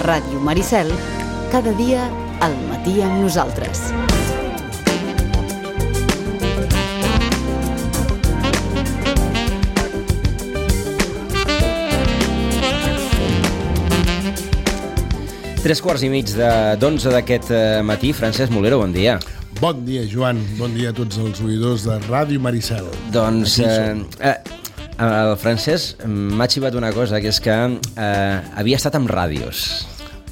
Ràdio Maricel, cada dia al matí amb nosaltres. Tres quarts i mig d'11 d'aquest matí. Francesc Molero, bon dia. Bon dia, Joan. Bon dia a tots els oïdors de Ràdio Maricel. Doncs el Francesc m'ha xivat una cosa, que és que havia estat amb ràdios.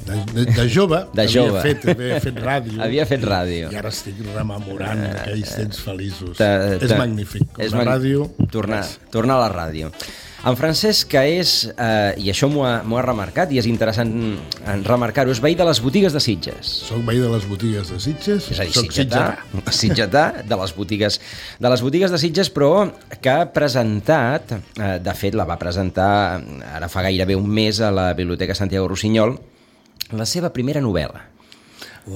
De jove, havia fet ràdio. Havia fet ràdio. I ara estic rememorant aquells temps feliços. És magnífic. Ràdio... Tornar a la ràdio. En Francesc, que és, i això m'ho ha remarcat, i és interessant remarcar-ho, és veí de les botigues de Sitges. Soc veí de les botigues de Sitges. És a dir, sitgetà de les botigues de Sitges, però que ha presentat, de fet la va presentar ara fa gairebé un mes a la Biblioteca Santiago Rossinyol, la seva primera novel·la.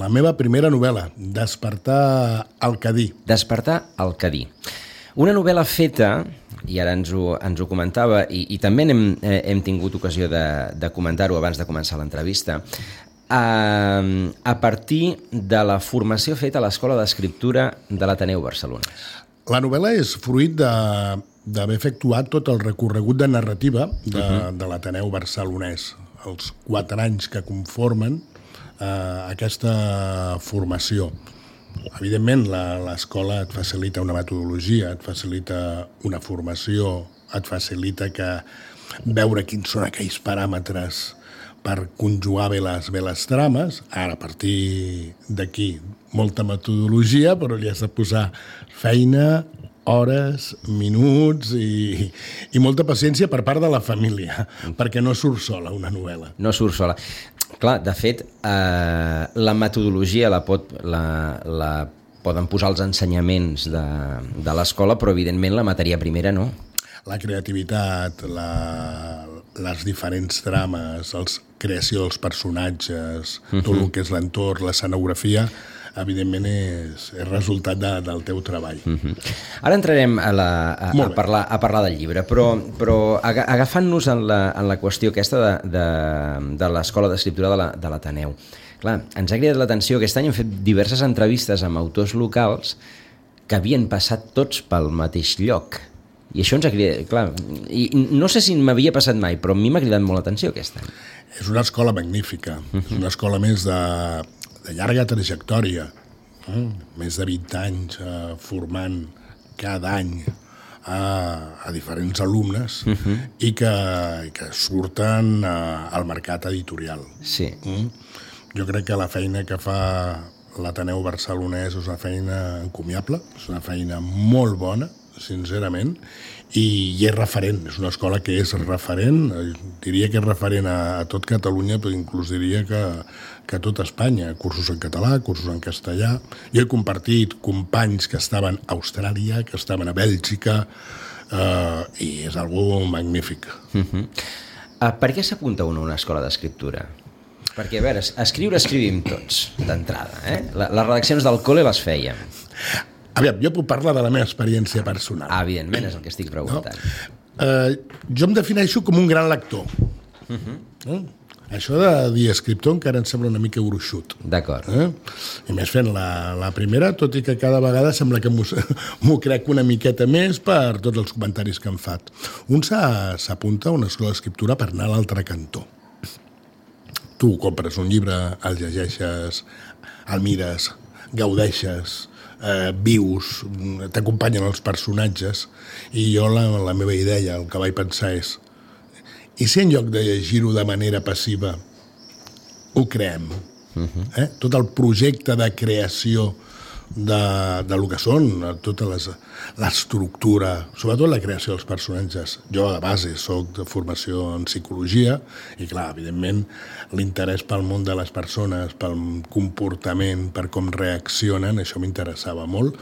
La meva primera novel·la, Despertar al Cadí. Despertar al Cadí. Una novel·la feta, i ara ens ho comentava, i també hem tingut ocasió de comentar-ho abans de començar l'entrevista, a partir de la formació feta a l'Escola d'Escriptura de l'Ateneu Barcelonès. La novel·la és fruit d'haver efectuat tot el recorregut de narrativa de l'Ateneu Barcelonès, els 4 anys que conformen aquesta formació. Evidentment, l'escola et facilita una metodologia, et facilita una formació, et facilita veure quins són aquells paràmetres per conjugar bé les trames. Ara, a partir d'aquí, molta metodologia, però li has de posar feina, hores, minuts i molta paciència per part de la família, perquè no surt sola una novel·la. No surt sola. Clar, de fet, la metodologia la poden posar els ensenyaments de l'escola, però evidentment la matèria primera no. La creativitat, les diferents trames, la creació dels personatges, tot el que és l'entorn, l'escenografia, evidentment és resultat del teu treball. Ara entrarem a parlar del llibre, però agafant-nos en la qüestió aquesta de l'Escola d'Escriptura de l'Ateneu. Clar, ens ha cridat l'atenció, aquest any hem fet diverses entrevistes amb autors locals que havien passat tots pel mateix lloc. I això ens ha cridat, clar, i no sé si m'havia passat mai, però a mi m'ha cridat molt l'atenció aquest any. És una escola magnífica, és una escola més de llarga trajectòria, més de 20 anys formant cada any a diferents alumnes i que surten al mercat editorial. Sí. Jo crec que la feina que fa l'Ateneu Barcelonès és una feina encomiable, és una feina molt bona, sincerament, i és referent, és una escola que és referent, diria que és referent a tot Catalunya, però inclús diria que a tot Espanya, cursos en català, cursos en castellà. Jo he compartit companys que estaven a Austràlia, que estaven a Bèlgica, i és algo magnífic. Per què s'apunta un a una escola d'escriptura? Perquè, a veure, escrivim tots, d'entrada. Les redaccions del col·le les fèiem. Aviam, jo puc parlar de la meva experiència personal. Evidentment, és el que estic preguntant. Jo em defineixo com un gran lector. Això de dir escriptor encara em sembla una mica gruixut. D'acord. I més fent la primera, tot i que cada vegada sembla que m'ho crec una miqueta més per tots els comentaris que em fan. Un s'apunta a una escola d'escriptura per anar a l'altre cantó. Tu compres un llibre, el llegeixes, el mires, gaudeixes, vius, t'acompanyen els personatges, i jo la meva idea, el que vaig pensar és: i si en lloc de llegir-ho de manera passiva ho creem? Tot el projecte de creació del que són, tota l'estructura, sobretot la creació dels personatges. Jo de base soc de formació en psicologia i clar, evidentment l'interès pel món de les persones, pel comportament, per com reaccionen, això m'interessava molt.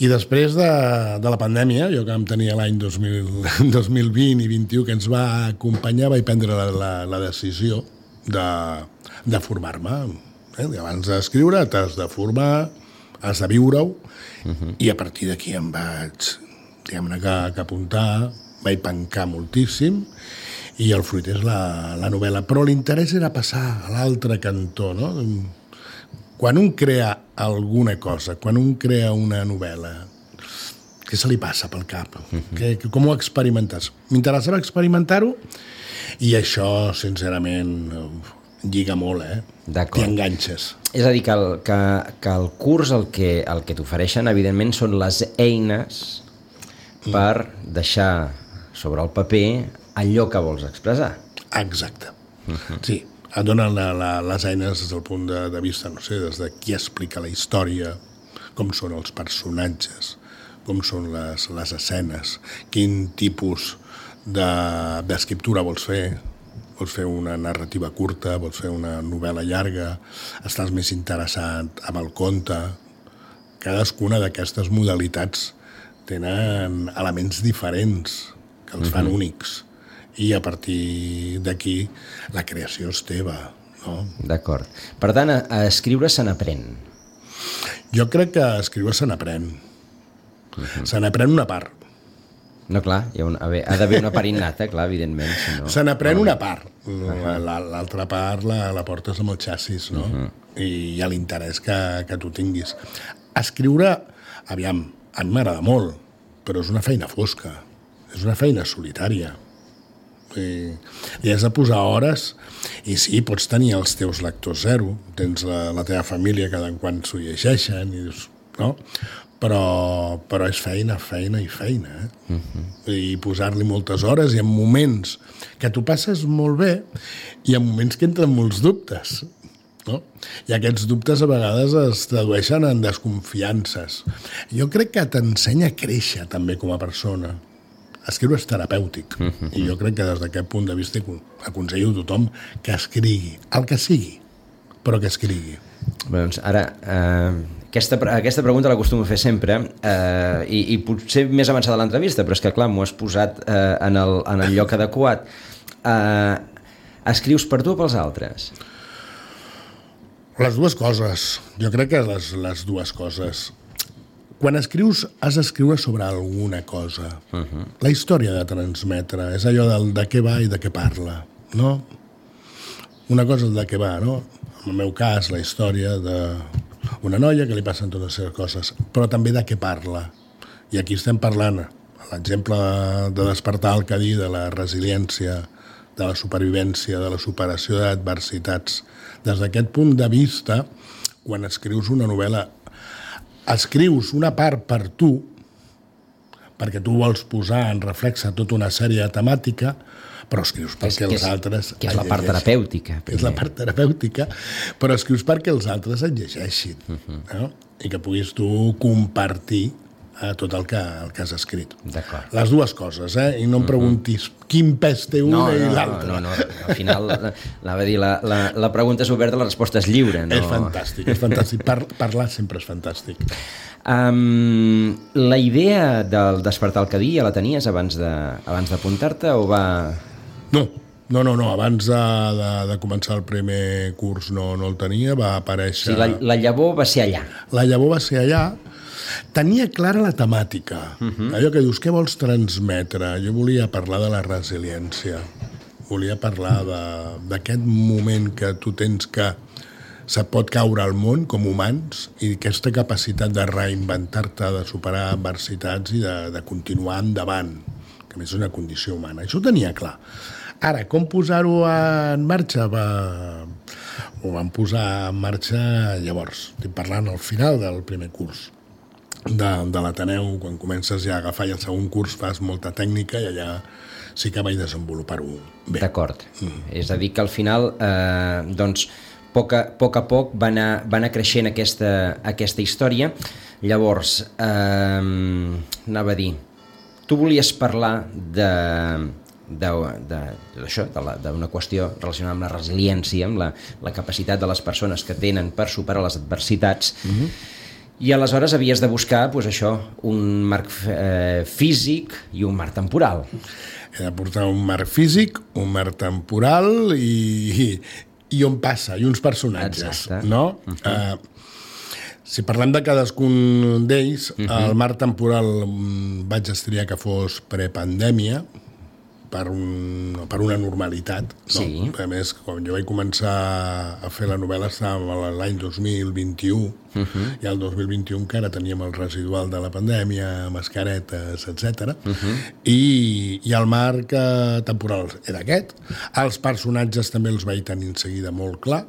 I després de la pandèmia, jo que vam tenir l'any 2020 i 2021 que ens va acompanyar, vaig prendre la decisió de formar-me. Abans d'escriure t'has de formar, has de viure-ho, i a partir d'aquí em vaig, diguem-ne, que apuntar, vaig pencar moltíssim, i el fruit és la novel·la. Però l'interès era passar a l'altre cantó, no? Quan un crea alguna cosa, quan un crea una novel·la, què se li passa pel cap? Com ho experimentes? M'interessava experimentar-ho i això, sincerament, lliga molt, T'hi enganxes. És a dir, que el curs el que t'ofereixen, evidentment, són les eines per deixar sobre el paper allò que vols expressar. Exacte. Sí, et donen les eines des del punt de vista, no sé, des de qui explica la història, com són els personatges, com són les escenes, quin tipus d'escriptura vols fer. Vols fer una narrativa curta, vols fer una novel·la llarga, estàs més interessat amb el conte. Cadascuna d'aquestes modalitats tenen elements diferents que els fan únics. I a partir d'aquí la creació és teva, no? D'acord. Per tant, a escriure se n'aprèn. Jo crec que a escriure se n'aprèn. Se n'aprèn una part. No, clar, ha d'haver una part innata, clar, evidentment. Si no, se n'aprèn una part. L'altra part la portes amb el xassis, no? I hi ha l'interès que tu tinguis. Escriure, aviam, a mi m'agrada molt, però és una feina fosca. És una feina solitària. I has de posar hores i sí, pots tenir els teus lectors zero, tens la teva família cada quan s'ho llegeixen i dius, no? Però és feina i feina, i posar-li moltes hores i en moments que tu passes molt bé i en moments que entren molts dubtes, no? I aquests dubtes a vegades es tradueixen en desconfiances. Jo crec que t'ensenya a créixer també com a persona. Escriure és terapèutic i jo crec que des d'aquest punt de vista aconsello a tothom que escrigui, el que sigui, però que escrigui. Bé, doncs ara, aquesta pregunta l'acostumo a fer sempre i potser més avançada a l'entrevista, però és que clar, m'ho has posat en el lloc adequat. Escrius per tu o pels altres? Les dues coses. Jo crec que les dues coses. Quan escrius, has d'escriure sobre alguna cosa. La història de transmetre és allò de què va i de què parla, no? Una cosa és de què va, no? En el meu cas, la història d'una noia que li passen totes les coses, però també de què parla. I aquí estem parlant, l'exemple de Despertar el Cadí, de la resiliència, de la supervivència, de la superació d'adversitats. Des d'aquest punt de vista, quan escrius una novel·la, escrius una part per tu, perquè tu vols posar en reflexe tota una sèrie de temàtica, però escrius perquè els altres... Que és la part terapèutica. És la part terapèutica, però escrius perquè els altres et llegeixin, no? I que puguis tu compartir tot el que has escrit. D'acord. Les dues coses, I no em preguntis quin pes té una i l'altra. No, al final, anava a dir, la pregunta és oberta, la resposta és lliure. No? És fantàstic. Parlar sempre és fantàstic. La idea del Despertar el Cadí ja la tenies abans d'apuntar-te o va... No, abans de començar el primer curs no el tenia, va aparèixer... Sí, la llavor va ser allà. La llavor va ser allà. Tenia clara la temàtica. Allò que dius, què vols transmetre? Jo volia parlar de la resiliència. Volia parlar d'aquest moment que tu tens que se pot caure al món com humans i aquesta capacitat de reinventar-te, de superar adversitats i de continuar endavant, que a més és una condició humana. Això ho tenia clar. Ara, com posar-ho en marxa? Ho vam posar en marxa llavors. Estic parlant al final del primer curs de l'Ateneu, quan comences ja a agafar i el segon curs fas molta tècnica i allà sí que vaig desenvolupar-ho bé. D'acord. És a dir que al final doncs poc a poc va anar creixent aquesta història. Llavors, anava a dir, tu volies parlar d'això, d'una qüestió relacionada amb la resiliència, amb la capacitat de les persones que tenen per superar les adversitats, i aleshores havies de buscar un marc físic i un marc temporal. He de portar un marc físic, un marc temporal i on passa, i uns personatges. Exacte. No? Si parlem de cadascun d'ells, el marc temporal vaig estriar que fos prepandèmia, per una normalitat. No? Sí. A més, quan jo vaig començar a fer la novel·la estàvem l'any 2021 i el 2021 encara teníem el residual de la pandèmia, mascaretes, etc. I el marc temporal era aquest. Els personatges també els vaig tenir en seguida molt clar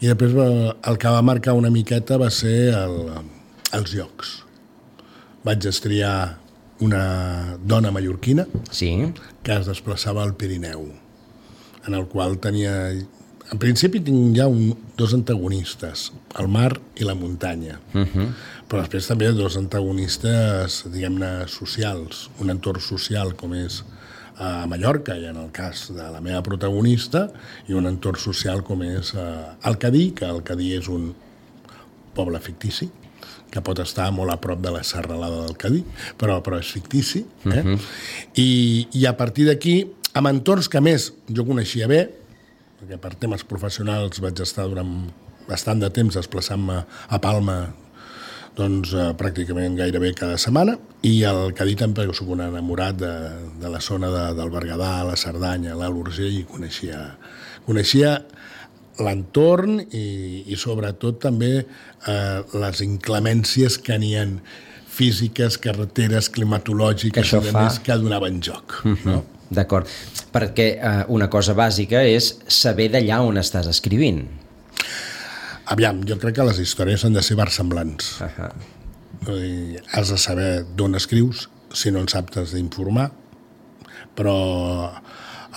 i després el que va marcar una miqueta va ser els llocs. Vaig estriar una dona mallorquina que es desplaçava al Pirineu, en el qual tenia... En principi tinc ja dos antagonistes, el mar i la muntanya, però després també dos antagonistes, diguem-ne, socials, un entorn social com és a Mallorca, i en el cas de la meva protagonista, i un entorn social com és el Cadí, que el Cadí és un poble fictici, que pot estar molt a prop de la serralada del Cadí, però és fictici. I a partir d'aquí, amb entorns que més jo coneixia bé, perquè per temes professionals vaig estar durant bastant de temps desplaçant-me a Palma doncs, pràcticament gairebé cada setmana, i el Cadí també soc un enamorat de la zona del Berguedà, la Cerdanya, l'Alt Urgell, i coneixia l'entorn i sobretot també les inclemències que n'hi ha físiques, carreteres, climatològiques i més que donaven joc. No? D'acord, perquè una cosa bàsica és saber d'allà on estàs escrivint. Aviam, jo crec que les històries han de ser versemblants. Has de saber d'on escrius, si no en saps t'has d'informar, però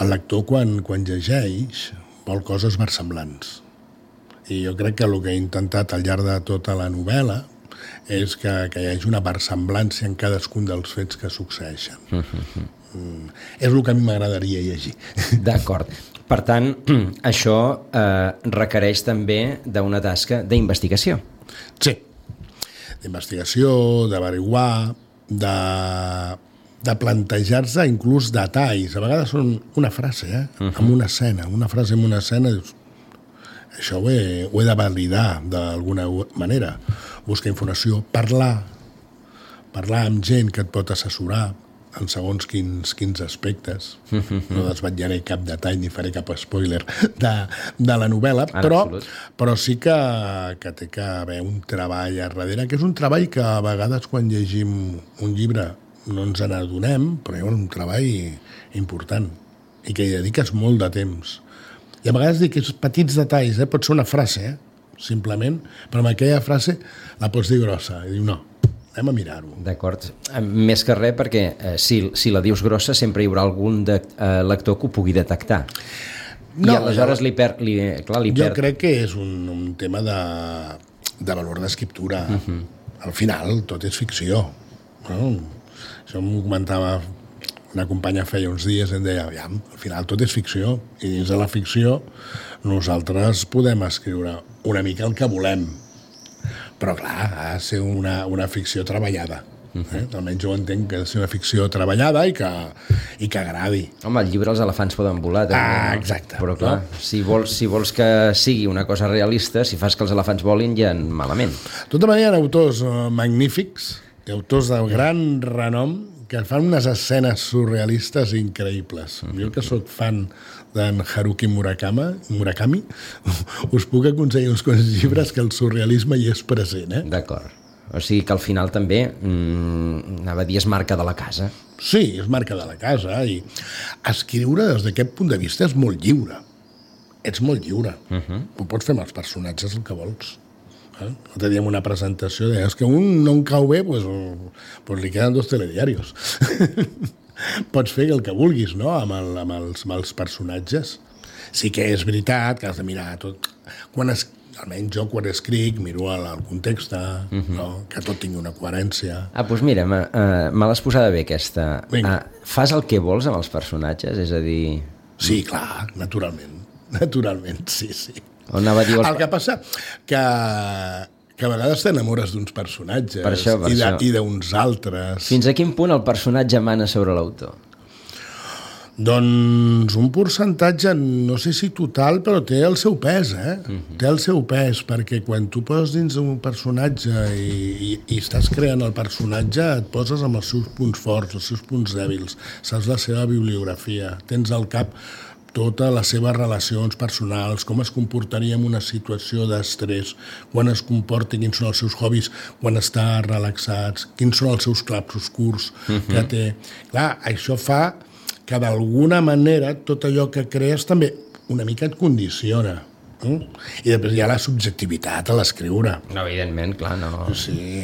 el lector quan llegeix vol coses versemblants. I jo crec que el que he intentat al llarg de tota la novel·la és que hi hagi una versemblança en cadascun dels fets que succeeixen. És el que a mi m'agradaria llegir. D'acord. Per tant, això requereix també d'una tasca d'investigació. Sí. D'investigació, d'averiguar, de plantejar-se inclús detalls. A vegades són una frase, amb una escena. Una frase amb una escena, dius, això ho he de validar d'alguna manera. Buscar informació, parlar amb gent que et pot assessorar en segons quins aspectes. No desvetllaré cap detall ni faré cap spoiler de la novel·la, però sí que té que haver un treball a darrere, que és un treball que a vegades quan llegim un llibre no ens n'adonem, però hi ha un treball important i que hi dediques molt de temps. I a vegades dic que és petits detalls, pot ser una frase, simplement, però amb aquella frase la pots dir grossa i diu no, anem a mirar-ho. D'acord. Més que res perquè si la dius grossa sempre hi haurà algun lector que ho pugui detectar. I aleshores li perd. Jo crec que és un tema de valor d'escriptura. Al final tot és ficció. Això m'ho comentava una companya feia uns dies, em deia, al final tot és ficció, i dins de la ficció nosaltres podem escriure una mica el que volem, però clar, ha de ser una ficció treballada. Almenys jo entenc que ha de ser una ficció treballada i que agradi. Home, al llibre els elefants poden volar també, exacte. Però clar, si vols que sigui una cosa realista, si fas que els elefants volin ja malament. De tota manera, hi ha autors magnífics, autors de gran renom, que fan unes escenes surrealistes increïbles. Jo que sóc fan d'en Haruki Murakami, us puc aconsellar uns quants llibres que el surrealisme hi és present. D'acord. O sigui que al final també, anava a dir, és marca de la casa. Sí, és marca de la casa, i escriure des d'aquest punt de vista és molt lliure. Ets molt lliure. Ho pots fer amb els personatges el que vols. L'altre dia en una presentació deies que un no em cau bé, doncs li queden 2 telediarios. Pots fer el que vulguis, no?, amb els personatges. Sí que és veritat que has de mirar tot. Almenys jo quan escric miro el context, que tot tingui una coherència. Doncs mira, me l'has posada bé aquesta. Fas el que vols amb els personatges? És a dir... Sí, clar, naturalment, sí. El que passa que a vegades t'enamores d'uns personatges per això. I d'uns altres. Fins a quin punt el personatge mana sobre l'autor? Doncs un percentatge, no sé si total, però té el seu pes, Té el seu pes, perquè quan tu poses dins un personatge i estàs creant el personatge, et poses amb els seus punts forts, els seus punts dèbils, saps la seva bibliografia, tens al cap totes les seves relacions personals, com es comportaria en una situació d'estrès, quan es comporta, quins són els seus hobbies, quan està relaxats, quins són els seus clarobscurs que té. Clar, això fa que d'alguna manera tot allò que crees també una mica et condiciona. I després hi ha la subjectivitat a l'escriure. No, evidentment, clar, no. Sí,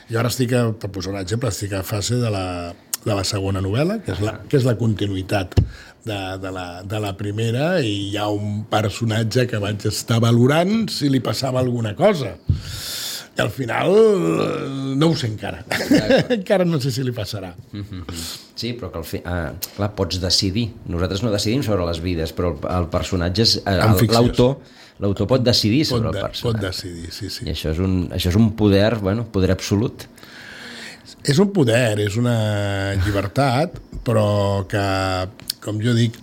jo ara per posar un exemple, estic a fase de la segona novel·la, que és la continuïtat de la primera, i hi ha un personatge que vaig estar valorant si li passava alguna cosa. I al final no ho sé encara. Encara no sé si li passarà. Sí, però que clar, pots decidir. Nosaltres no decidim sobre les vides, però el personatge és... L'autor pot decidir sobre el personatge. Pot decidir, sí. I això és un poder, poder absolut. És un poder, és una llibertat, però que, com jo dic,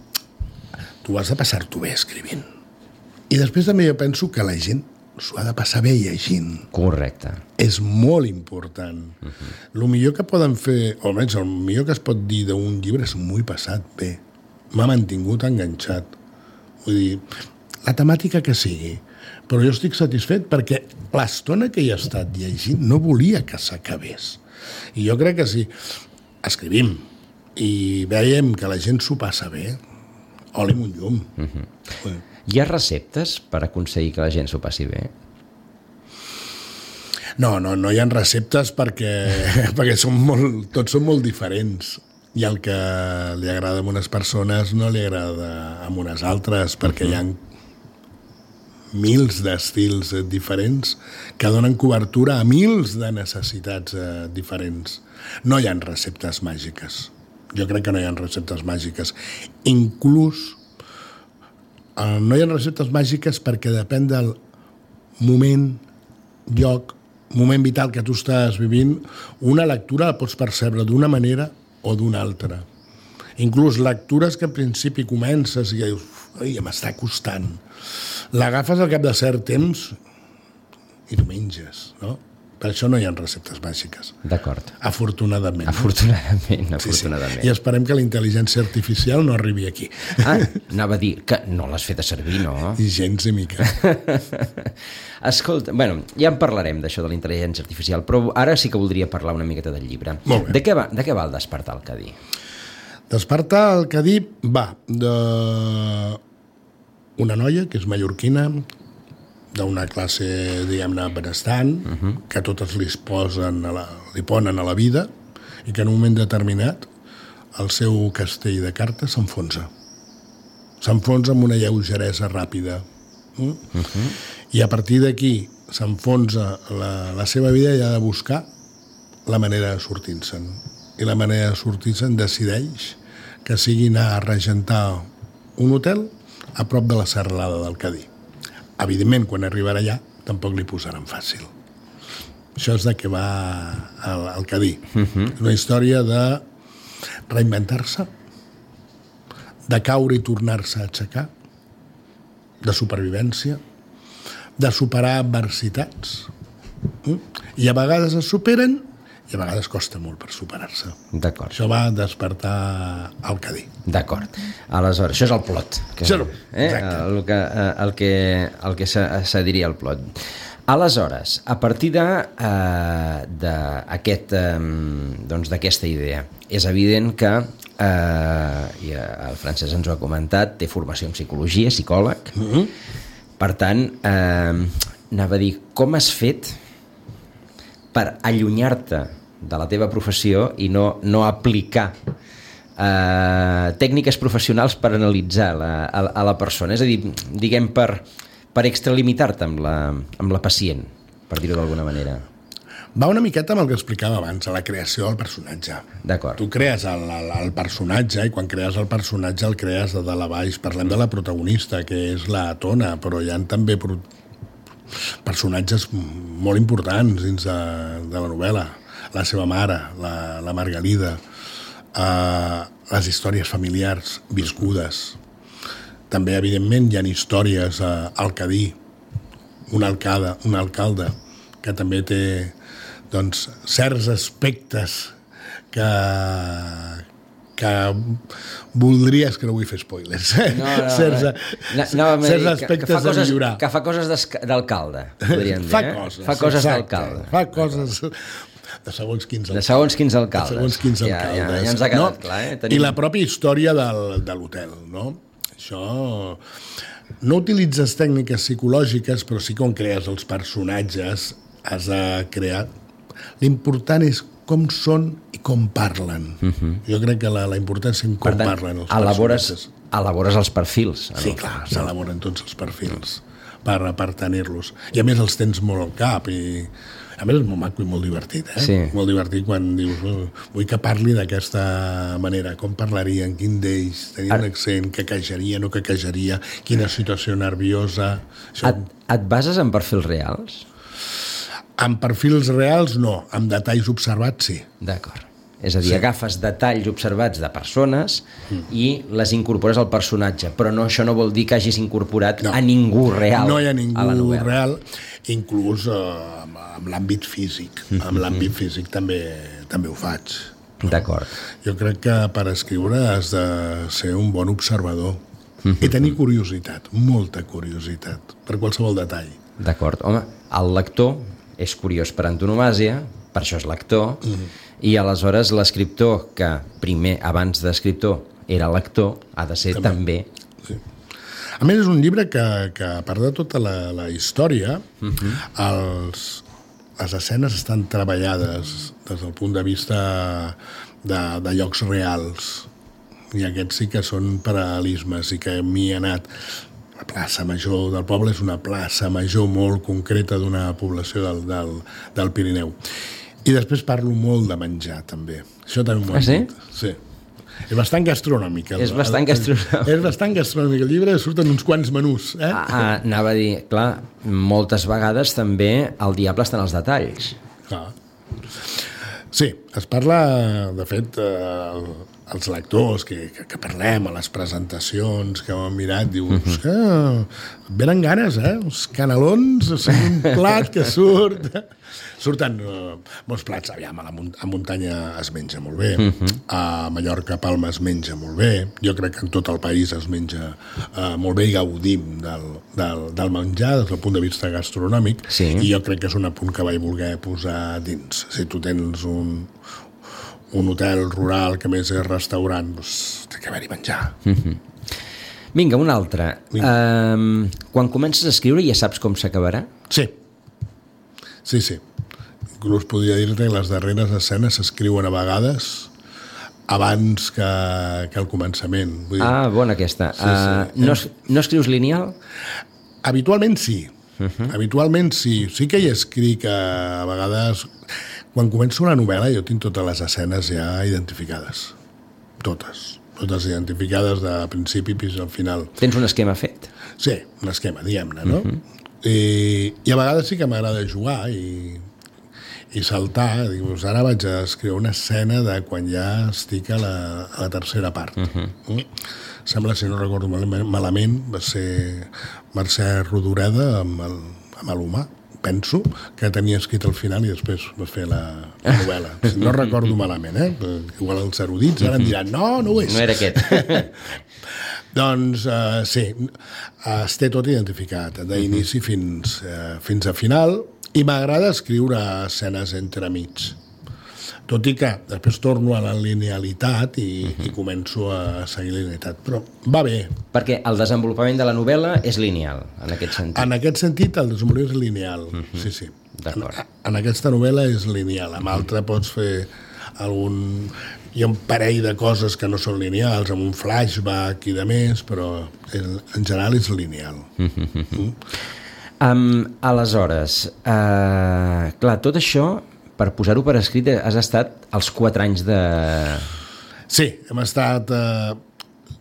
tu has de passar-t'ho bé escrivint. I després també jo penso que la gent s'ho ha de passar bé llegint. Correcte. És molt important. El millor que poden fer, o almenys el millor que es pot dir d'un llibre és m'ho he passat bé. M'ha mantingut enganxat. Vull dir, la temàtica que sigui. Però jo estic satisfet perquè l'estona que hi he estat llegint no volia que s'acabés. I jo crec que si escrivim i veiem que la gent s'ho passa bé, oli amb un llum. Hi ha receptes per aconseguir que la gent s'ho passi bé? No hi ha receptes perquè tots són molt diferents. I el que li agrada a unes persones no li agrada a unes altres, perquè hi ha mils d'estils diferents que donen cobertura a mils de necessitats diferents. No hi ha receptes màgiques. Jo crec que no hi ha receptes màgiques. Inclús no hi ha receptes màgiques perquè depèn del moment, lloc, moment vital que tu estàs vivint. Una lectura la pots percebre d'una manera o d'una altra. Inclús lectures que al principi comences i dius, m'està costant. L'agafes al cap de cert temps i t'ho menges, no? Per això no hi ha receptes màgiques. D'acord. Afortunadament. Afortunadament. Sí. I esperem que la intel·ligència artificial no arribi aquí. Anava a dir que no l'has fet a servir, no? I gens ni mica. Escolta, ja en parlarem d'això de la intel·ligència artificial, però ara sí que voldria parlar una miqueta del llibre. Molt bé. De què va el Despertar el Cadí? Despertar el Cadí va d'una noia que és mallorquina, d'una classe, diguem-ne, benestant, que totes li ponen a la vida i que en un moment determinat el seu castell de cartes s'enfonsa. S'enfonsa amb una lleugeresa ràpida. I a partir d'aquí s'enfonsa la seva vida i ha de buscar la manera de sortir-se'n. I la manera de sortir-se'n decideix que sigui anar a regentar un hotel a prop de la serralada del Cadí. Evidentment, quan arribarà allà, tampoc li posaran fàcil. Això és de què va el Cadí. Una història de reinventar-se, de caure i tornar-se a aixecar, de supervivència, de superar adversitats. I a vegades es superen i a vegades costa molt per superar-se. D'acord. Això va despertar el Cadí. D'acord. Aleshores, això és el plot. El que se diria el plot. Aleshores, a partir d'aquesta idea, és evident que, i el Francesc ens ho ha comentat, té formació en psicologia, psicòleg. Per tant, anava a dir, com has fet per allunyar-te de la teva professió i no aplicar tècniques professionals per analitzar a la persona, és a dir, diguem, per extralimitar-te amb la pacient, per dir-ho d'alguna manera. Va una miqueta amb el que explicava abans, a la creació del personatge. D'acord. Tu crees el personatge i quan crees el personatge el crees de dalt a baix. Parlem de la protagonista, que és la Tona, però hi ha també personatges molt importants dins de la novel·la. La seva mare, la Margalida, les històries familiars viscudes. També, evidentment, hi ha històries al Cadí, un alcalde que també té doncs, certs aspectes que voldries que no vull fer spoilers. Certs aspectes de millorar. Que fa coses d'alcalde, podríem dir. Fa coses d'alcalde. Fa coses de segons quins alcaldes. De segons quins alcaldes. De segons quins alcaldes. Ja ens ha quedat clar. I la pròpia història de l'hotel, no? Això... No utilitzes tècniques psicològiques, però sí que quan crees els personatges has de crear... L'important és com són i com parlen. Jo crec que la importància és com parlen els personatges. Elabores els perfils. Sí, clar, s'elaboren tots els perfils per tenir-los. I a més els tens molt al cap i... A més és molt maco i molt divertit, Sí. Molt divertit quan dius vull que parli d'aquesta manera, com parlarien, quin d'ells, tenia un accent, quequejaria, no quequejaria, quina situació nerviosa... Et bases en perfils reals? En perfils reals no, amb detalls observats sí. D'acord. És a dir, agafes detalls observats de persones i les incorpores al personatge, però això no vol dir que hagis incorporat a ningú real. No hi ha ningú real, inclús amb l'àmbit físic. Amb l'àmbit físic també ho faig. D'acord. Jo crec que per escriure has de ser un bon observador i tenir curiositat, molta curiositat, per qualsevol detall. D'acord. Home, el lector és curiós per antonomàsia, per això és lector, i aleshores l'escriptor, que primer, abans d'escriptor, era lector, ha de ser també... Sí. A més, és un llibre que a part de tota la història, les escenes estan treballades des del punt de vista de llocs reals, i aquests sí que són paral·lelismes, i que m'hi ha anat... La plaça Major del poble és una plaça major molt concreta d'una població del Pirineu. I després parlo molt de menjar, també. Això també m'ho han dit. Sí? És bastant gastronòmic. És bastant gastronòmic. És bastant gastronòmic. El llibre surten uns quants menús. Anava a dir, clar, moltes vegades també el diable està en els detalls. Clar. Sí, es parla, de fet, els lectors que parlem a les presentacions que ho han mirat, dius que venen ganes, els canelons són un plat que surten molts plats. Aviam, a muntanya es menja molt bé, a Mallorca, Palma es menja molt bé, jo crec que en tot el país es menja molt bé i gaudim del menjar des del punt de vista gastronòmic, i jo crec que és un apunt que vaig voler posar dins. Si tu tens un hotel rural que més és restaurant, doncs té que haver-hi menjar. Vinga, un altre. Quan comences a escriure ja saps com s'acabarà? Sí. Inclús podria dir-te que les darreres escenes s'escriuen a vegades abans que el començament. Vull dir... Bona aquesta. No escrius lineal? Habitualment sí. Habitualment sí. Sí que hi escric a vegades... Quan començo una novel·la jo tinc totes les escenes ja identificades. Totes identificades de principi fins al final. Tens un esquema fet? Sí, un esquema, diguem-ne, no? I a vegades sí que m'agrada jugar i saltar. Dius, ara vaig a escriure una escena de quan ja estic a la tercera part. Sembla, si no recordo malament, va ser Mercè Rodoreda amb l'Humà. Penso que tenia escrit al final i després va fer la novel·la. No recordo malament, igual els erudits ara em diran, no ho és. No era aquest. Doncs sí, es té tot identificat, d'inici fins a final, i m'agrada escriure escenes entremig. Tot i que després torno a la linealitat i començo a seguir la linealitat. Però va bé. Perquè el desenvolupament de la novel·la és lineal, en aquest sentit. En aquest sentit, el desenvolupament és lineal. Sí. D'acord. En aquesta novel·la és lineal. Amb altra pots fer algun... Hi ha un parell de coses que no són lineals, amb un flashback i de més, però en general és lineal. Aleshores, clar, tot això... Per posar-ho per escrit has estat els 4 anys de... Sí, hem estat...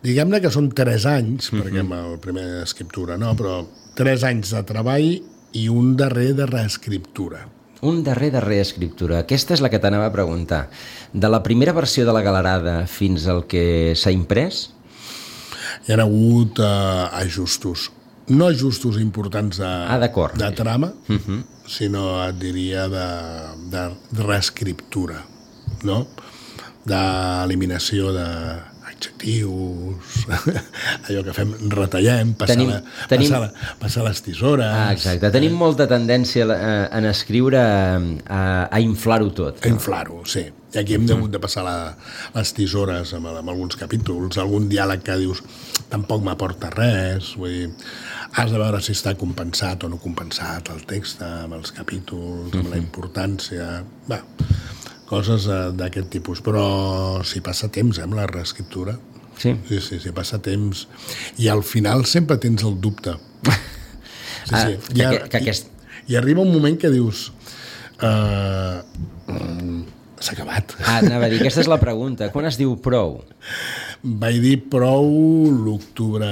diguem-ne que són 3 anys, perquè amb la primera escriptura, no? Però 3 anys de treball i un darrer de reescriptura. Un darrer escriptura. Aquesta és la que t'anava a preguntar. De la primera versió de la Galerada fins al que s'ha imprès? Hi ha hagut ajustos. No ajustos importants de trama, sinó, et diria, de reescriptura, no? D'eliminació d'adjectius, allò que fem, retallem, passar les tisores... Exacte, tenim molta tendència en escriure a inflar-ho tot. A inflar-ho, sí. I aquí hem hagut de passar les tisores amb alguns capítols, algun diàleg que dius tampoc m'aporta res, vull dir, has de veure si està compensat o no compensat el text amb els capítols, amb la importància... Va, coses d'aquest tipus, però si passa temps, amb la reescriptura. Sí, passa temps. I al final sempre tens el dubte. Sí. I arriba un moment que dius... s'ha acabat. Anava a dir, aquesta és la pregunta. Quan es diu prou? Vaig dir prou l'octubre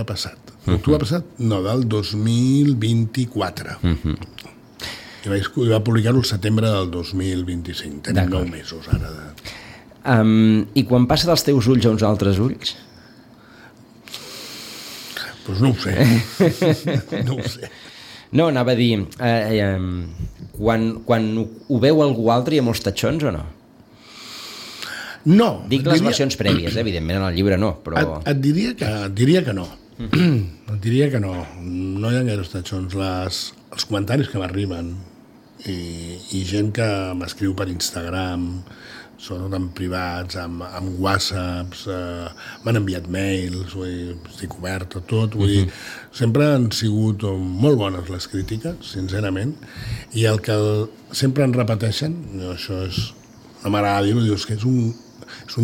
passat. L'octubre passat? No, del 2024. I va publicar-ho el setembre del 2025. Tenim 9 mesos ara. I quan passa dels teus ulls a uns altres ulls? Doncs no ho sé. No ho sé. No, anava a dir, quan ho veu algú altre hi ha molts tatxons o no? No. Dic les versions prèvies, evidentment, en el llibre no, però... Et diria que no. Et diria que no. No hi ha gaires tatxons. Els comentaris que m'arriben i gent que m'escriu per Instagram, sobretot en privats, amb whatsapps, m'han enviat mails, estic obert a tot, vull dir, sempre han sigut molt bones les crítiques, sincerament, i el que sempre en repeteixen, això és, no m'agrada dir-ho, dius que és un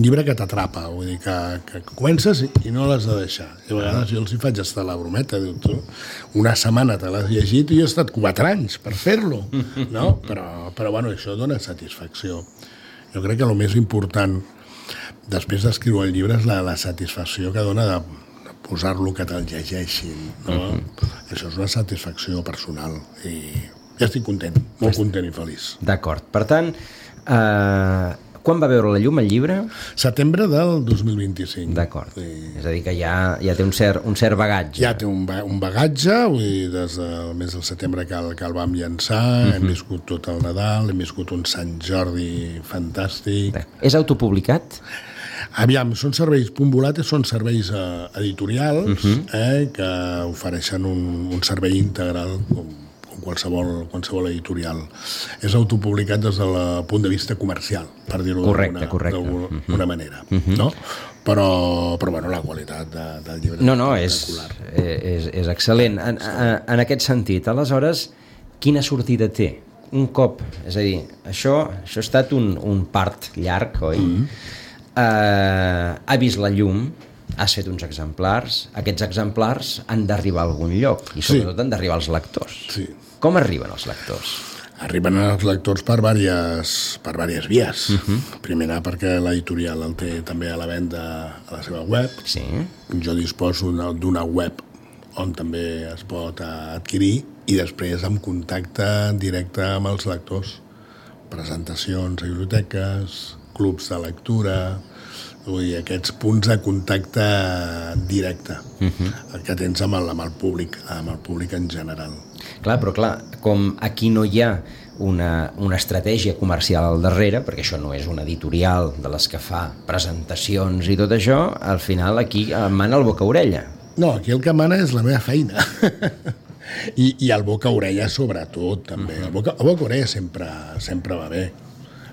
llibre que t'atrapa, vull dir, que comences i no l'has de deixar. I a vegades jo els hi faig estar la brometa, diu, tu, una setmana te l'has llegit i jo he estat 4 anys per fer-lo, no? Però bueno, això dona satisfacció. Jo crec que el més important després d'escriure el llibre és la satisfacció que dona de posar-lo que te'l llegeixin, no? Això és una satisfacció personal i ja estic content, molt content i feliç. D'acord. Per tant, quan va veure la llum el llibre? Setembre del 2025. D'acord. És a dir, que ja té un cert bagatge. Ja té un bagatge, vull dir, des del mes de setembre que el vam llançar, hem viscut tot el Nadal, hem viscut un Sant Jordi fantàstic. És autopublicat? Aviam, són serveis, Punt Volates són serveis editorials que ofereixen un servei integral com qualsevol editorial. És autopublicat des del punt de vista comercial, per dir-ho d'alguna manera. No? Però bueno, la qualitat del llibre és espectacular. És excel·lent. En aquest sentit, aleshores, quina sortida té? Un cop, és a dir, això ha estat un part llarg, oi? Ha vist la llum, has fet uns exemplars, aquests exemplars han d'arribar a algun lloc i sobretot han d'arribar als lectors. Sí. Com arriben els lectors? Arriben els lectors per diverses vies. Primera, perquè l'editorial el té també a la venda a la seva web. Sí. Jo disposo d'una web on també es pot adquirir i després en contacte directe amb els lectors. Presentacions a biblioteques, clubs de lectura, aquests punts de contacte directe que tens amb el públic en general. Clar, com aquí no hi ha una estratègia comercial al darrere, perquè això no és una editorial de les que fa presentacions i tot això, al final aquí mana el boca-orella. No, aquí el que mana és la meva feina. I el boca-orella sobretot, també. El boca-orella sempre va bé.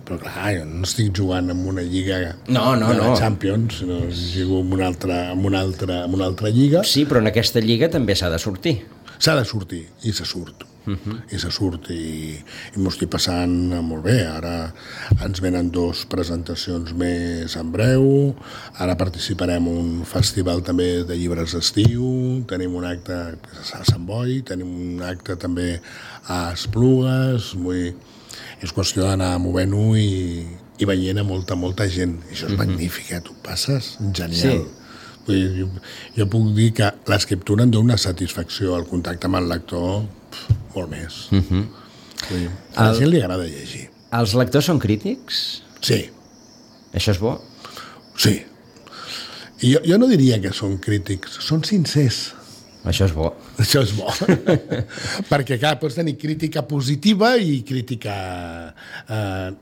Però clar, jo no estic jugant en una lliga de la Champions, sinó jugo en una altra lliga. Sí, però en aquesta lliga també s'ha de sortir. S'ha de sortir, i se surt. I se surt, i m'ho estic passant molt bé. Ara ens venen 2 presentacions més en breu, ara participarem en un festival també de llibres d'estiu, tenim un acte a Sant Boi, tenim un acte també a Esplugues, és qüestió d'anar movent-ho i veient a molta gent. Això és magnífic, tu passes genial. Sí. Jo puc dir que l'escriptura em dona una satisfacció, el contacte amb el lector, molt més. A la gent li agrada llegir. Els lectors són crítics? Sí. Això és bo? Sí. I jo no diria que són crítics, són sincers. Això és bo. Això és bo. Perquè, clar, pots tenir crítica positiva i crítica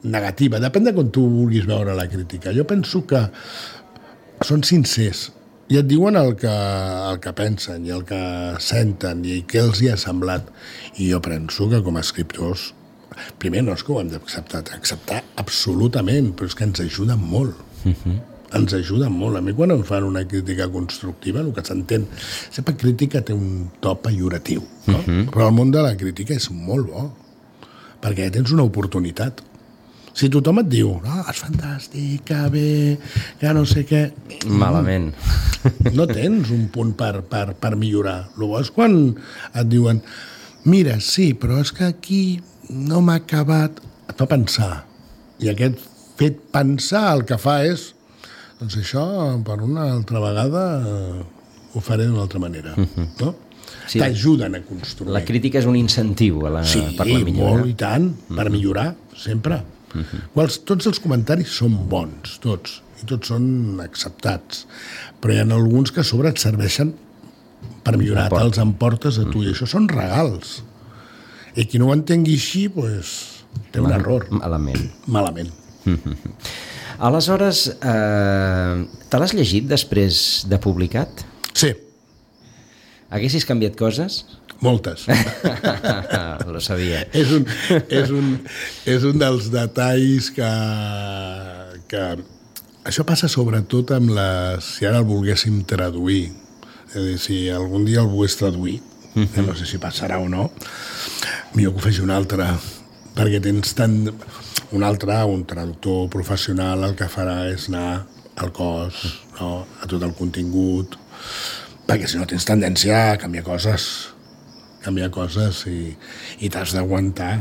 negativa. Depèn de com tu vulguis veure la crítica. Jo penso que són sincers i et diuen el que pensen i el que senten i què els hi ha semblat. I jo penso que com a escriptors, primer no és que ho hem d'acceptar absolutament, però és que ens ajuden molt. Ens ajuden molt. A mi quan em fan una crítica constructiva, el que s'entén, sempre crítica té un to pejoratiu, no? Però el món de la crítica és molt bo, perquè tens una oportunitat. Si tothom et diu, és fantàstic, que bé, que no sé què... Malament. No tens un punt per millorar. El bo és quan et diuen, mira, sí, però és que aquí no m'ha acabat... Et fa pensar. I aquest fet pensar el que fa és doncs això, per una altra vegada, ho faré d'una altra manera. No? Sí, t'ajuden a construir. La crítica és un incentiu per la millora. Sí, molt i tant, per millorar, sempre. Tots els comentaris són bons, tots, i tots són acceptats. Però hi ha alguns que a sobre et serveixen per millorar, te'ls emportes a tu, i això són regals. I qui no ho entengui així, doncs, té un error. Malament. Aleshores, te l'has llegit després de publicat? Sí. Haguessis canviat coses? Moltes. Lo sabia. És un dels detalls que... Això passa sobretot amb si ara el volguéssim traduir. És a dir, si algun dia el volgués traduir, que no sé si passarà o no, millor que ho faci un altre, perquè tens tant... un traductor professional el que farà és anar al cos, no? A tot el contingut, perquè si no tens tendència a canviar coses i t'has d'aguantar.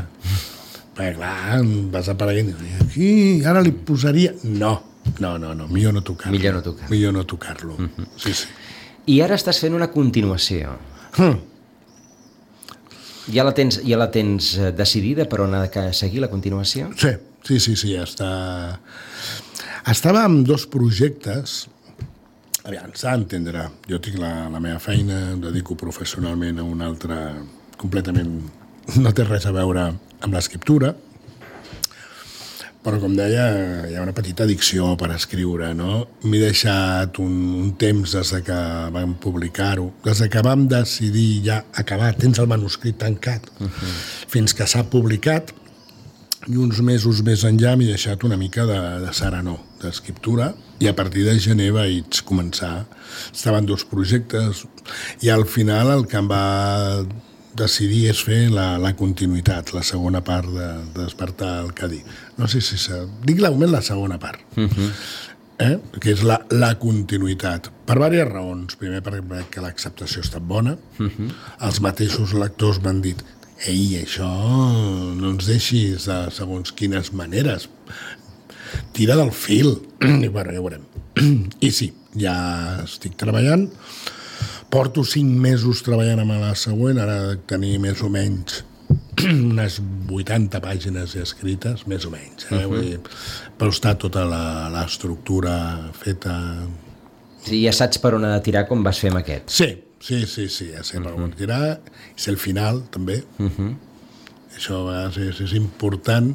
Perquè clar, vas apareguent i aquí, ara li posaria... No, millor no tocar-lo. Millor no tocar-lo. Sí. I ara estàs fent una continuació. Ja la tens decidida per on ha de seguir la continuació? Sí, ja està. Estava amb 2 projectes. Aviam, s'ha d'entendre. Jo tinc la meva feina, em dedico professionalment a una altra completament... No té res a veure amb l'escriptura, però com deia, hi ha una petita addicció per escriure, no? M'he deixat un temps des que vam publicar-ho, des que vam decidir ja acabar, tens el manuscrit tancat, fins que s'ha publicat, i uns mesos més enllà m'he deixat una mica de serenor, d'escriptura, i a partir de gener vaig començar. Estaven 2 projectes, i al final el que em va decidir és fer la continuïtat, la segona part de Despertar el Cadí. No sé si dic la segona part, que és la continuïtat. Per diverses raons. Primer, perquè l'acceptació ha estat bona. Els mateixos lectors m'han dit ei, això no ens deixis de segons quines maneres. Tira del fil. I bueno, ja ho veurem. I sí, ja estic treballant. Porto 5 mesos treballant amb la següent, ara he de tenir més o menys unes 80 pàgines escrites, més o menys. Però està tota l'estructura feta... Sí, ja saps per on ha de tirar com vas fer amb aquest. Sí, ja sé per on tirar. És el final, també. Això a vegades és important.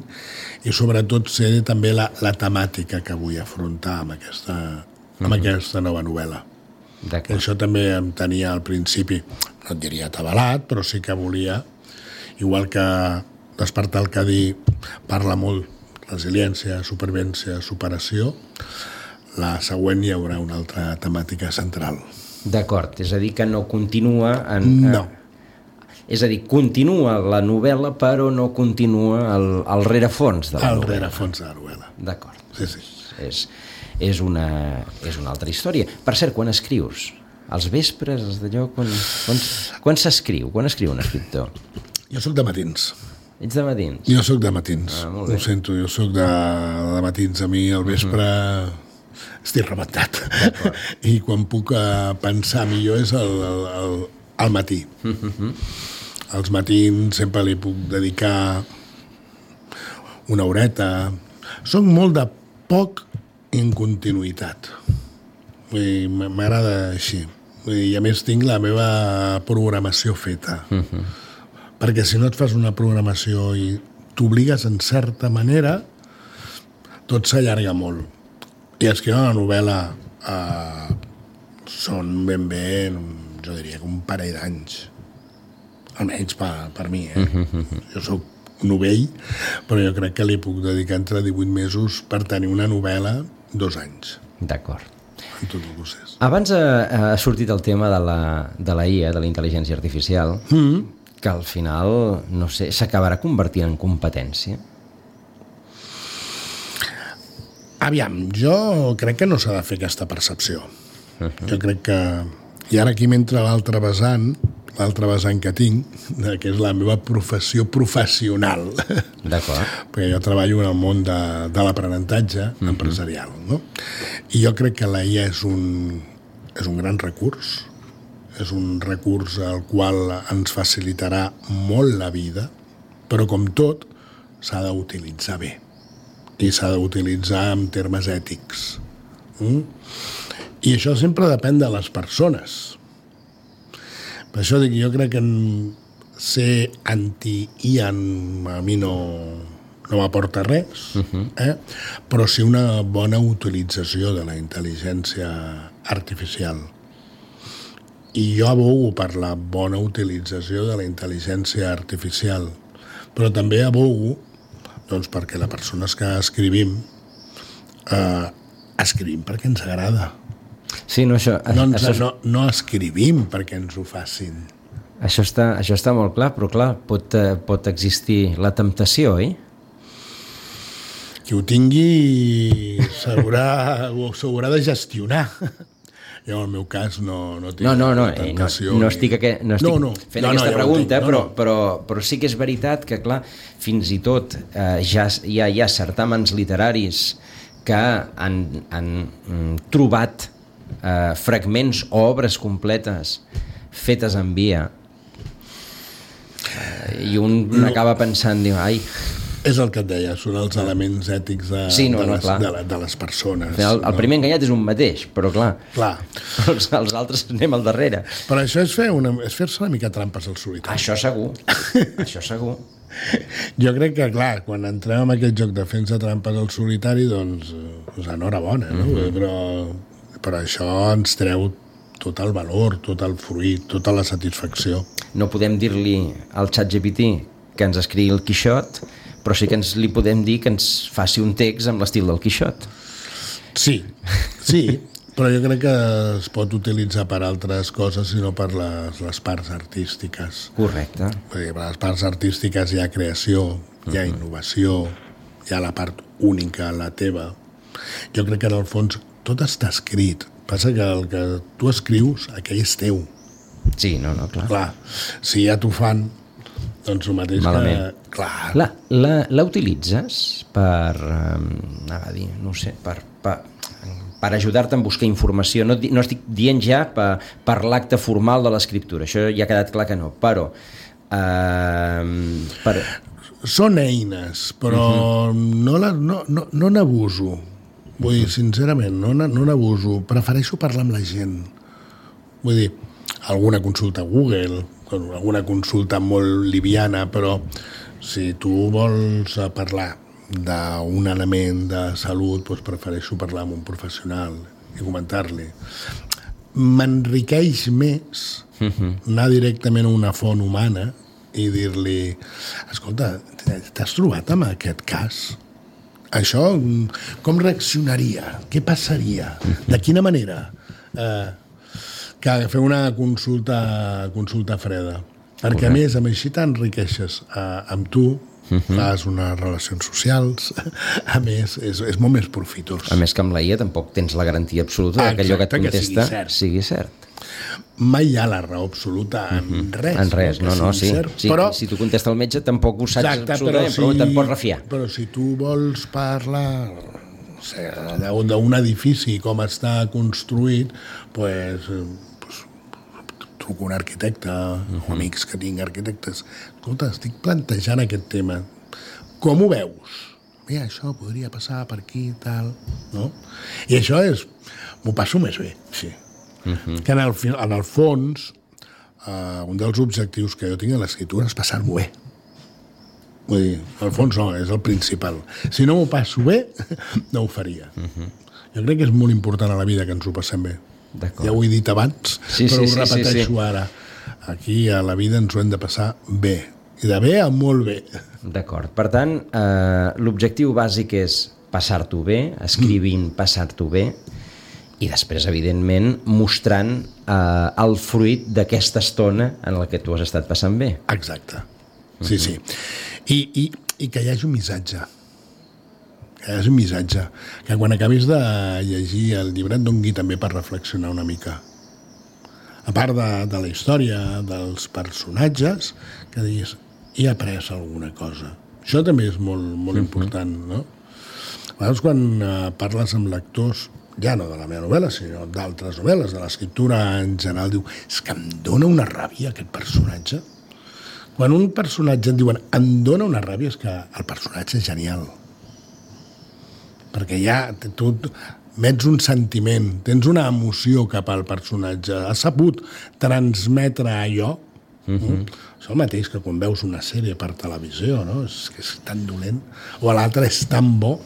I sobretot sé també la temàtica que vull afrontar amb aquesta nova novel·la. Això també em tenia al principi, no et diria atabalat, però sí que volia, igual que Despertar el Cadí parla molt resiliència, supervivència, superació, la següent hi haurà una altra temàtica central. D'acord, és a dir que no continua... No. És a dir, continua la novel·la, però no continua el rerefons de la novel·la. El rerefons de la novel·la. D'acord. Sí. És una altra història. Per cert, quan escrius? Als vespres, d'allò... Quan s'escriu? Quan escriu un escriptor? Jo sóc de matins. Ets de matins? Jo sóc de matins. Molt bé. Ho sento, jo sóc de matins. A mi al vespre estic rebentat. I quan puc pensar millor és al matí. Els matins sempre li puc dedicar una horeta. Soc molt de poc en continuïtat. M'agrada així. I a més tinc la meva programació feta. Perquè si no et fas una programació i t'obligues en certa manera, tot s'allarga molt. I escriure una novel·la són ben bé, jo diria que un parell d'anys. Almenys per mi, Jo soc novell, però jo crec que li puc dedicar entre 18 mesos per tenir una novel·la 2 anys. D'acord. En tot el procés. Abans ha sortit el tema de la IA, de la intel·ligència artificial, que al final, no sé, s'acabarà convertint en competència? Aviam, jo crec que no s'ha de fer aquesta percepció. Jo crec que... I ara aquí m'entra l'altre vessant que tinc, que és la meva professió professional. D'acord. Perquè jo treballo en el món de l'aprenentatge empresarial, no? I jo crec que la IA és un gran recurs, és un recurs al qual ens facilitarà molt la vida, però com tot s'ha d'utilitzar bé i s'ha d'utilitzar en termes ètics. I això sempre depèn de les persones. Per això dic, jo crec que ser anti-IA a mi no m'aporta res, però sí una bona utilització de la intel·ligència artificial. I jo abogo per la bona utilització de la intel·ligència artificial, però també abogo perquè les persones que escrivim perquè ens agrada. Sí, no, això... No escrivim perquè ens ho facin. Això està molt clar, però clar, pot existir la temptació, oi? Qui ho tingui s'haurà de gestionar. Jo, en el meu cas, no tinc la temptació. No estic fent aquesta pregunta, però sí que és veritat que, clar, fins i tot ja hi ha certàmens literaris que han trobat fragments o obres completes fetes en IA i un acaba pensant, diu, ai... És el que et deia, són els elements ètics de les persones. El primer enganyat és un mateix, però clar. Els altres anem al darrere. Però això és fer-se una mica trampes al solitari. Això segur. Jo crec que, clar, quan entrem en aquest joc de fer-se trampes al solitari, doncs enhorabona, no? Però això ens treu tot el valor, tot el fruit, tota la satisfacció. No podem dir-li al ChatGPT que ens escrigui el Quixot, però sí que li podem dir que ens faci un text amb l'estil del Quixot. Sí, però jo crec que es pot utilitzar per altres coses i no per les parts artístiques. Correcte. Per les parts artístiques hi ha creació, hi ha innovació, hi ha la part única, la teva. Jo crec que en el fons tot està escrit. Passa que el que tu escrius, aquell és teu. Sí, clar. Clar, si ja t'ho fan, doncs el mateix malament. Que... Clar. La utilitzes per, no sé, per ajudar-te a buscar informació? No estic dient ja per l'acte formal de l'escriptura, això ja ha quedat clar que no, però... Són eines, però no n'abuso. Vull dir, sincerament, no n'abuso. Prefereixo parlar amb la gent. Vull dir, alguna consulta a Google, alguna consulta molt liviana, però si tu vols parlar d'un element de salut, doncs prefereixo parlar amb un professional i comentar-li. M'enriqueix més anar directament a una font humana i dir-li, escolta, t'has trobat amb aquest cas? Això, com reaccionaria? Què passaria? De quina manera? Que fer una consulta freda. Perquè, a més, amb així t'enriqueixes amb tu, fas unes relacions socials, a més, és molt més profitós. A més que amb la IA tampoc tens la garantia absoluta que allò que et contesta sigui cert. Mai hi ha la raó absoluta en res. En res, sí. Però, si tu contesta el metge tampoc ho saps absolutament, però te'n pots refiar. Però si tu vols parlar d'un edifici, com està construït, doncs truco un arquitecte, o amics que tinc arquitectes. Escolta, estic plantejant aquest tema. Com ho veus? mira, això podria passar per aquí, tal, no? I això m'ho passo més bé, sí. Que en el fons, un dels objectius que jo tinc a l'escriptura és passar-m'ho bé. Vull dir, al fons no, és el principal. Si no m'ho passo bé, no ho faria. Jo crec que és molt important a la vida que ens ho passem bé. Ja ho he dit abans, però ho repeteixo ara. Aquí a la vida ens ho hem de passar bé. I de bé a molt bé. D'acord. Per tant, l'objectiu bàsic és passar-t'ho bé, escrivint passar-t'ho bé, i després, evidentment, mostrant el fruit d'aquesta estona en la que tu has estat passant bé. Exacte. Sí. I que hi hagi un missatge. Que hi hagi un missatge. Que quan acabis de llegir el llibre et doni també per reflexionar una mica. A part de la història, dels personatges, que diguis, he après alguna cosa. Això també és molt important, no? A vegades quan parles amb lectors, ja no de la meva novel·la, sinó d'altres novel·les, de l'escriptura en general, diu, és que em dóna una ràbia aquest personatge. Quan un personatge et diuen em dóna una ràbia, és que el personatge és genial. Perquè ja tu mets un sentiment, tens una emoció cap al personatge, has sabut transmetre allò. És el mateix que quan veus una sèrie per televisió, no? És que és tan dolent, o l'altre és tan bo.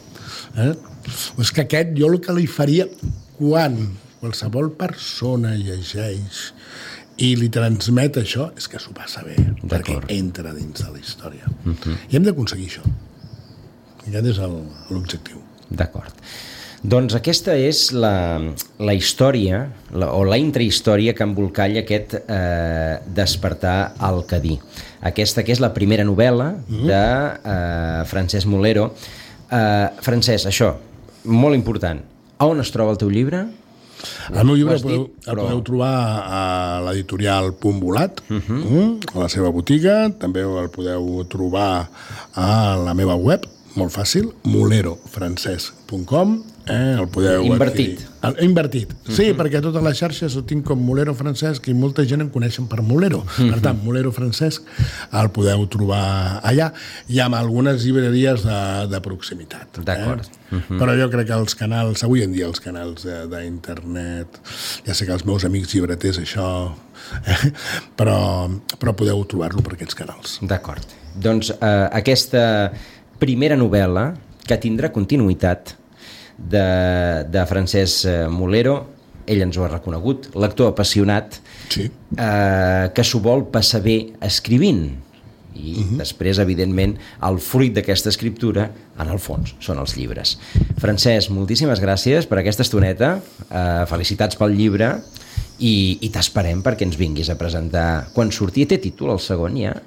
És que aquest jo el que li faria quan qualsevol persona llegeix i li transmet això és que s'ho passa bé, perquè entra dins de la història. I hem d'aconseguir això. Aquest és l'objectiu. D'acord. Doncs aquesta és la història, o la intrahistòria que embolcalla aquest Despertar al Cadí. Aquesta que és la primera novel·la de Francesc Mulero. Francesc, això, molt important. A on es troba el teu llibre? El meu llibre el podeu trobar a l'editorial Punt Volat, a la seva botiga. També el podeu trobar a la meva web, molt fàcil, mulerofrancesc.com. El podeu invertit. Invertit, sí, perquè a totes les xarxes ho tinc com Mulero Francesc i molta gent em coneixen per Mulero. Per tant, Mulero Francesc el podeu trobar allà i amb algunes llibreries de proximitat. D'acord. Però jo crec que els canals, avui en dia els canals d'internet, ja sé que els meus amics llibreters això, però podeu trobar-lo per aquests canals. D'acord. Doncs aquesta primera novel·la, que tindrà continuïtat, de Francesc Mulero, ell ens ho ha reconegut, lector apassionat, sí. Que s'ho vol passar bé escrivint. I després, evidentment, el fruit d'aquesta escriptura, en el fons, són els llibres. Francesc, moltíssimes gràcies per aquesta estoneta, felicitats pel llibre, i t'esperem perquè ens vinguis a presentar. Quan surti, té títol el segon ja?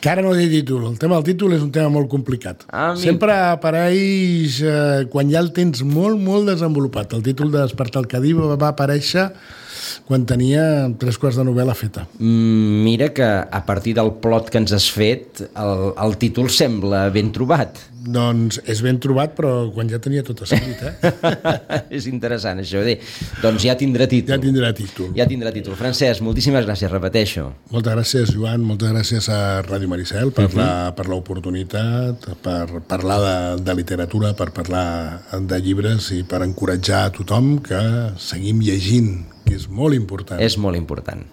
Que ara no té títol. El tema del títol és un tema molt complicat. Sempre apareix quan ja el tens molt desenvolupat. El títol de Despertar al Cadí va aparèixer quan tenia 3/4 de novel·la feta. Mira que a partir del plot que ens has fet, el títol sembla ben trobat. Doncs és ben trobat, però quan ja tenia tot escrit, És interessant, això. Doncs ja tindrà títol. Ja tindrà títol. Francesc, moltíssimes gràcies, repeteixo. Moltes gràcies, Joan, moltes gràcies a Ràdio Maricel per l'oportunitat, per parlar de literatura, per parlar de llibres i per encoratjar a tothom que seguim llegint, que és molt important. És molt important.